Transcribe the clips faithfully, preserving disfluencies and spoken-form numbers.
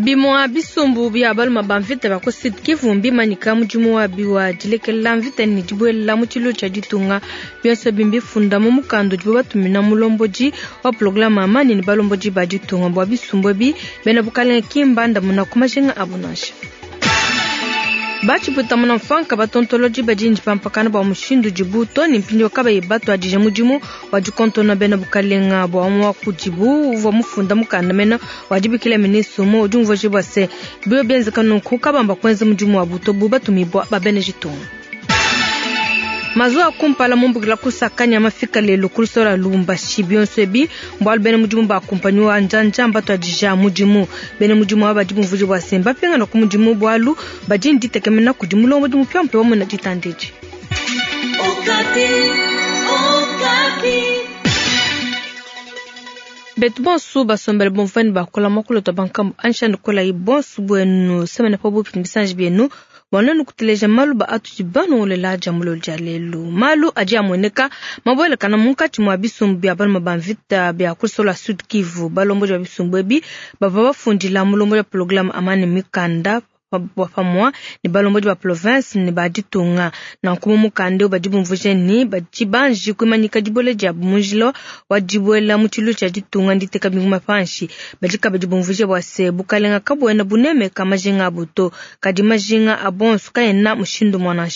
Bimua bisumbu bia baluma ba mvita bia ku Sud Kivu mbimanyika mudimu wabi wa dilekela mvita ne dibuela mu tshilu tshia ditunga. Bionso ebi mbifunda mu mukanda udibo batumina mulombodi wa programe amani ne balombodi ba ditunga. Bua bisumbu ebi bena bukalenge ki mbandamuna ku majinga abu nansha. Batshiputa muna mfanka batontolodi badi ndipampakana bua mushindu dibu to ne mpindieu kabayi batuadije mudimu wa dikontona bena bukalenga. Bua umue wa kudibu uvua mufunda mukanda mena wa dibikila ministre umue udi umvuija bua se bio bienzeka nunku kabamba kuenza mudimu wa buto bu batumibua ba bena ditunga. Mazuwa kumpala mumbukila kusakanya mafika lelo ku lusolo Lubumbashi. Bionso ebi mbualu bena mudimu ba kumpanyi wa njanja mbatuadija mudimu. Bena mudimu aba badi bumvuija bua se mbapingana ku mudimu bualu badi nditekemena kudi mulombodi mupiamupia wa muena ditandedi. Betu bonso basombele bomvani bakola makulu to bankambu anshani kola yi bonso bwenu semene pa bupi bisanji byenu bwana kuteleja malu ba atudi banongolela dia mulolo dia lelu. Malu adi amueneka mabuelekana munkatshi mua bisumbu bia baluma ba mvita bia kusola Sud Kivu. Balombodi ba bisumbu ebi bavua bafundila mulombodi wa programme amani mikanda pamua ne balombodi ba province ne ba ditunga. Nanku mu mukanda badi bumvuija ni badi banji kuimanyika dibole dia munjila wa dibuela mu tshilu tshia ditunga nditeka binguma panshi. Badi kabidi bumvuija bua se bukalenga kabuena bunemeka majinga abu to, kadi majinga a bonso kaena mushindu mwa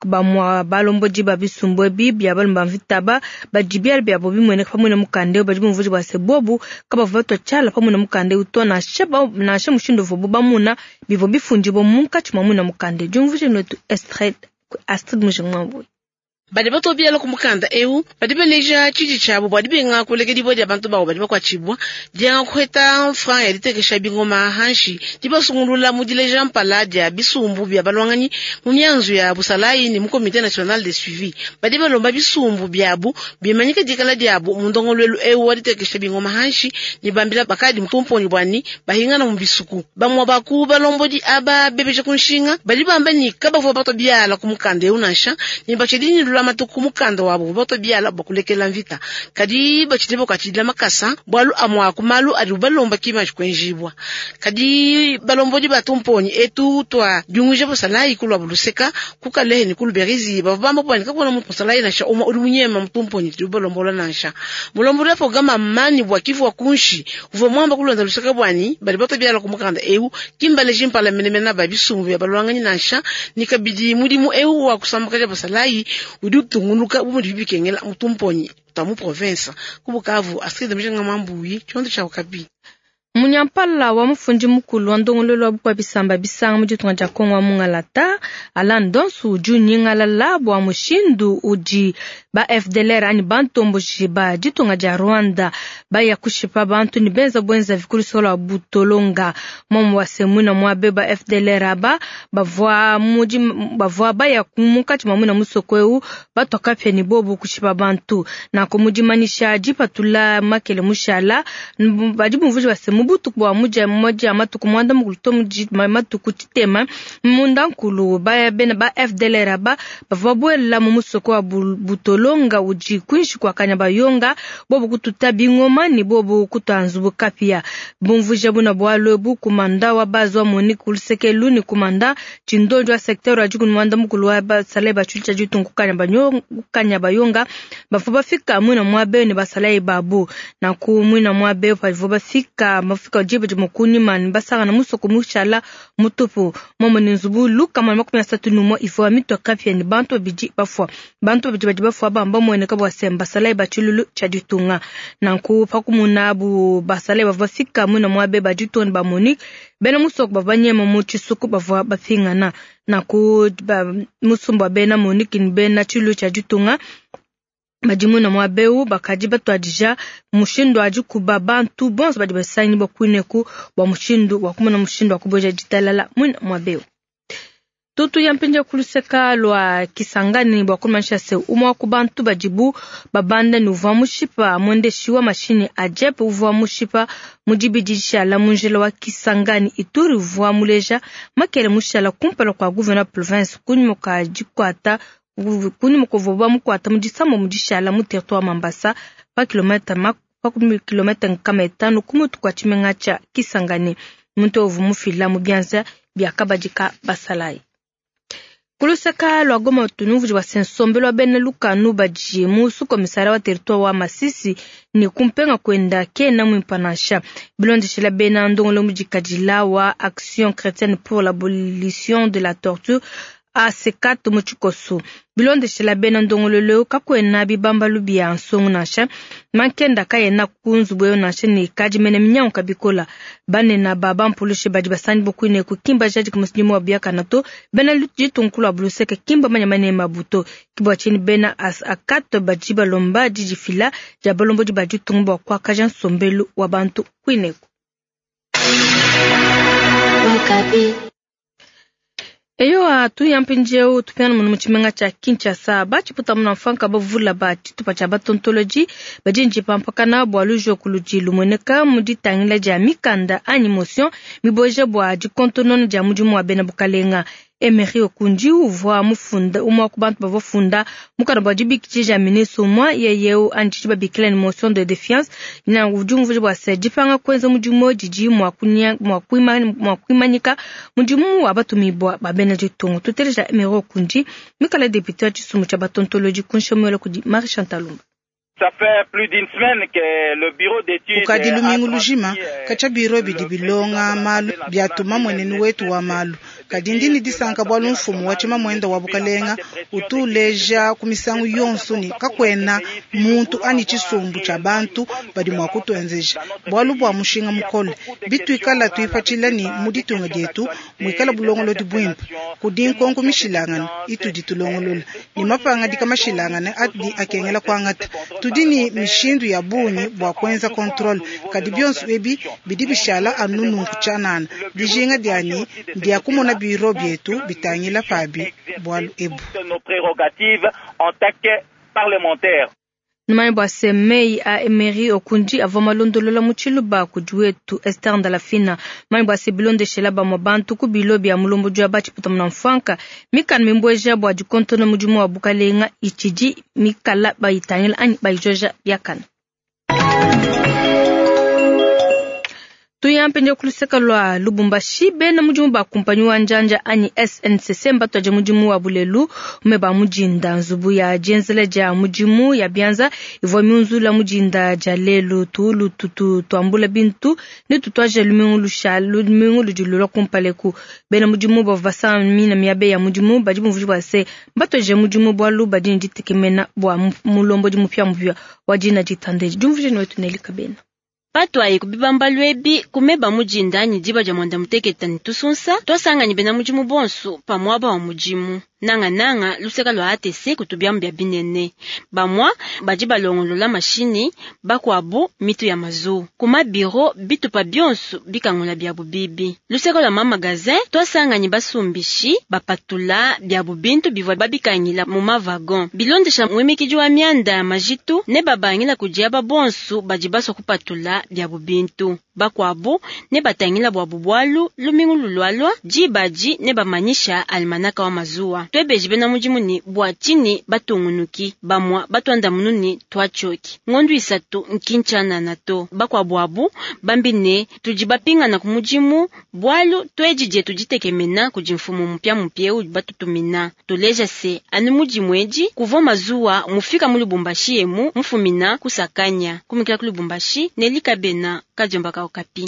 bamwa balombodi ba bisumbu ebi bia balumba mvita ba badi biala byabo bimueneka pamwe na mukanda badi bumvuija bua se bobu kabavua batua tshiala pamwe na mukanda to nansha nansha mushindu uvuabu bamuna bivua bifundibua munkatshi mua mwina mukanda. Diumvuija netu Astrid Mujingwambui. Badi batobiala ku mukanda eu badi baleja tshidi tshiabu bua dibenga kulekediwa dia bantu babo badi bakuatshibua dienga kuheta franc ya ditekesha bingoma hanshi dibasungulula mu dileja mpala dia bisumbu bia balwanganyi mu mianzu ya busalayi ne mu comité national de suivi. Badi balomba bisumbu biabu bimanyika dikala diabu mu ndongoluelu eu wa ditekesha bingoma hanshi ne bambila bakadi mutumponi bwani bahingana mu bisuku. Bamwa baku balombodi aba bebeja ku nshinga badi bamba ni kabavua batobiala ku mukanda eu nansha ne batshidi matuku mukanda wabo bato biala bakulekela mvita kadi bachidi bakachidila makasa bwalu amwa kumalu adi balomba kima kwenjibwa kadi balombodi batumponi etu twa diunguja busalayi kulwa buluseka kukalehe ni kuluberizi bavamba bwani kakona mutusalayi nasha uma uri munyema mutumponi tu balombola nansha mulombodi programa mani bwa kivu wa kunshi uvo mwamba kulonda luseka bwani bali bato biala kumukanda eu kimbale jimpala menemena babisumbu ya balwanganyi nansha nikabidi mudimu eu wa kusambakaja busalayi udi utunguluka bumudi bibikengela mutumponyi ta mu province ku Bukavu. Astrid Mujinga Mambuyi tshiondo tshia Okapi. Munyampala wa mufundi mukulu wa ndongololo wa bukua bisamba bisanga mu ditunga dia Kongo wa mungalata Alain Donsu udi unyingalala bua mushindu udi ba F D L R ani bantomboji ba ditunga dia Rwanda baya kushipa bantu ni benza bwenza vikulusola wa butolonga. Momu wa semwina mwabe ba F D L R aba bavua mudi bavua baya munkatshi mwa mwina musoko eu batoka pia ni bobu kushipa bantu na kumudimanisha dipatula makele mushala badi bumvuija base mubutuku bwa muja moja matuku mwanda mukulu muji matuku titema munda nkulu ba bena ba F D L R ba bavua buela mu musoko wa butolonga uji kwinshi kwa Kanyabayonga bobu kututa bingoma ni bobu kutanzubu kapia bumvuija buna bwalo bu kumanda wa bazwa Monique Lusekelu ni kumanda chindojo wa secteur wa jikunu mwanda mukulu wa basale bachucha jitungu Kanyabayonga bavua bafika mwina mwabe ni basale babu na ku mwina mwabe bavua bafika mafika jibe jimukuni man basanga na musoko mushala mutupu momo ni nzubu luka mwana makumi asatu numo ifwa mitwa kapia ni bantu biji bafwa bantu biji badi bafwa bamba mwene kabwa semba basale bachululu cha ditunga na ku pakumuna bu basale bavua bafika mwina mwabe bajitoni ba Monique bena musoko bavanyema mu chisuku bavua bafingana na ku musumba bena Monique ni bena chulu cha ditunga badimuna mwabeu bakadi batwadija mushindu aji kuba bantu bonso badi basanyi bakwineku bwa mushindu wa kumona mushindu wa kuboja ditalala mwina mwabeu. Tutu ya mpinja kuluseka lwa Kisangani bwa kumanisha se umwa ku bantu bajibu babanda ni uvua mushipa mwendeshi wa mashini ajepe uvua mushipa mujibidisha la munjela wa Kisangani Ituri uvua muleja makele mushala kumpala kwa gouverneur province kunyuma ka jikwata kunyuma kuvuba mukwata mujisamo mujishala mu territoire Mambasa pa kilomita pa kilomita nkama etano kumutu kwa chimenga cha Kisangani. Muntu uvua mufila mu bianza bia kabadi ka basalayi. Kulusaka lwa Goma tunuvudi wa sensombelo wa bena lukanu badi mu sukomisara wa territoire wa Masisi ni kumpenga kwenda kena mwimpanasha bilondeshela bena ndongolo mujikadila wa Action Chrétienne pour l'abolition de la torture A C quatre mu tshikoso bilondeshela bena ndongololo kakwena bibambalu bia nsongo nansha mankenda kayena ku nzubu eyo nansha ne kadi mene minyangu kabikola banena ba bampulushe badi basani bokwine kukimba jadi kumusidimu wa biakana to bena ditunkulu abuluseke kimba manya mane mabuto kibwa chini bena as akato badi balomba didifila dia balombo di badi tungu bwa kwakaja nsombelu wa bantu kwineku. Eyo atu yampinjeu tupiana munu muchimenga cha Kinshasa bachiputa muna mfanka bavula ba chitupa cha batontoloji bajinji pampakana bwa lujo kuluji lumweneka muditangila ja mikanda anyi motion miboje bwa jikontonono ja mudimu wa bena bukalenga. Emery Okundi uvwa mufunda umwa ku bantu bavofunda mukana bwa jibikije ja ministre umwa yeyeu anji babikila ni motion de défiance na ujumvu bwa se jipanga kwenza mudimu jiji mwa kunya mwa kuima mwa kuimanyika mudimu wa batumibwa ba bena jitongo tuteleja Emery Okundi mikala député wa chisumu cha batontoloji kunshomela kudi Marie Chantal Lumba. Ça fait plus d'une semaine que le bureau d'études ukadi lumingu lujima kacha biro bidi bilonga malu byatuma mwenenu wetu wa malu kadi ndini disanka bwalu mfumu wa chima mwenda wa bukalenga utuleja kumisangu yonso ni kakwena muntu ani chisumbu cha bantu badi mwa kutuenzeja bwalu bwa mushinga mukole bitwikala tuipatshila ni muditunga dietu mwikala bulongolo dibwimpe kudi nkonko mishilangana itudi tulongolola ni mapanga dikamashilangana adi akengela kwangata tudini mishindu ya bunyi bwa kwenza control kadi byonso ebi bidi bishala anunu kuchanana dijinga dyani ndya kumona biro byetu bitangila pabi bwalu ebu nos prérogatives en tant que parlementaire. Numani bwa semei a Emery Okundi avwa malondolola muchiluba kudiwetu Esther Ndalafina. Mani bwa sebilondeshela ba mwabantu kubilo bya mulombo jwa bachiputa mnamfanka mikana mimbweja bwa jikontono mudimu wa bukalenga ichiji mikala bayitangila anyi bayijoja byakana. Tuyampenje kuluseka lwa Lubumbashi bena mudimu ba kumpanyi wa njanja anyi S N C C mbatwaje mudimu wa bulelu umeba mujinda nzubu ya jenzele ja mudimu ya bianza ivwa miunzula mujinda ja lelu tuulu tutu tuambula bintu ni tutwaje lumingu lusha lumingu ludilula kumpaleku bena mudimu bavasa mina miabe ya mudimu badi mvuji bwa se mbatwaje mudimu bwa luba dini ditekemena bwa mulombo di mupya mupya wa dina ditandeji jumvuje wetu nelika bena patwayi kubibamba lwebi kumeba mujinda ni diba dia mwanda muteketa ni tusunsa twasangani bena mudimu bonso pamwaba wa mudimu nanga nanga luseka lwa A T C kutubyambu bya binene bamwa badi balongolola mashini bakwabu mitu ya mazu kuma biro bitupa byonso bikangola byabu bibi luseka lwa mamagazin twasangani basumbishi bapatula byabu bintu bivwa babikangila mu mavagon bilondesha mwemikiji wa myanda ya majitu ne babangila kudiaba bonso badi baswa kupatula byabu bintu bakwabu ne batangila bwabu bwalu lumingu lulwalwa jibaji ne bamanyisha almanaka wa mazuwa twebeji bena mudimu ni bwa chini batungunuki bamwa batwanda mununi twachoki ngondu isatu nkinchana na to bakwabwabu bambine tuji bapingana ku mudimu bwalu twejije tujitekemena kuji mfumu mupya mupya batutumina tuleja se anu mudimu eji kuvo mazuwa mufika mu Lubumbashi emu mufumina kusakanya kumikila ku Lubumbashi nelikabena kajomba ka Okapi.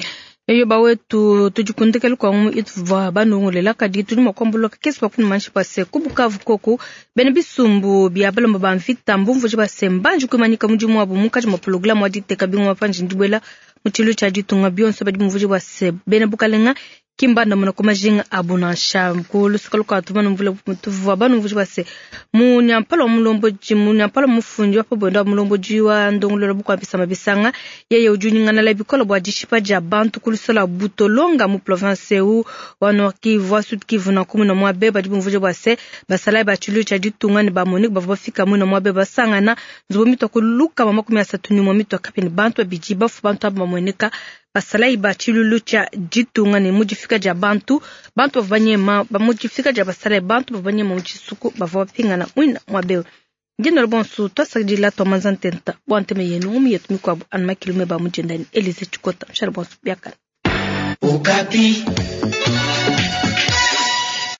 Eyo bawetu tujikundikele kwa ngu ituvwa banongolela kadi tudi makwambuluka kesi bakunu manshi pase kubukavu koku bene bisumbu bya balomba ba mvita mbumvu jibase mbanji kwimanyika mudimu wabu mukaji mwa programu wa diteka bingwa panji ndibwela muchilu cha ditunga byonso badi mvuji bwase bene bukalenga kimbanda muna kumajinga abunansha kulusuka lukatu mvula mutuvwa banumvuji bwase munyampala wa mulomboji munyampala mufunji wa pabondo wa mulomboji wa ndongololo bukwambisa mabisanga yeye ujunyingana la bikola bwa dishipa dia bantu kulusola butolonga mu province eu wa Nord Kivu wa Sud Kivu na kumuna mwabe badi bumvuji bwase basala ba chilu cha ditunga ne ba Monique bavua bafika muna mwabe basangana nzubu mitwa kuluka mama kumi asatu ni mwa mitwa kapeni bantu abiji bafu bantu abamweneka basalai ba chilulu cha ditunga ne mudifika dia bantu bantu bavanyema ba mudifika dia basalai bantu bavanyema mu tshisuku bavua bapingana mwina mwabewe ngeno bonso twasakidila twamanza ntenta bwa nteme yenu ngumi yetu mikwabu anu makilume ba mudjendani Elise Chikota mshara bonso biakana. Okapi.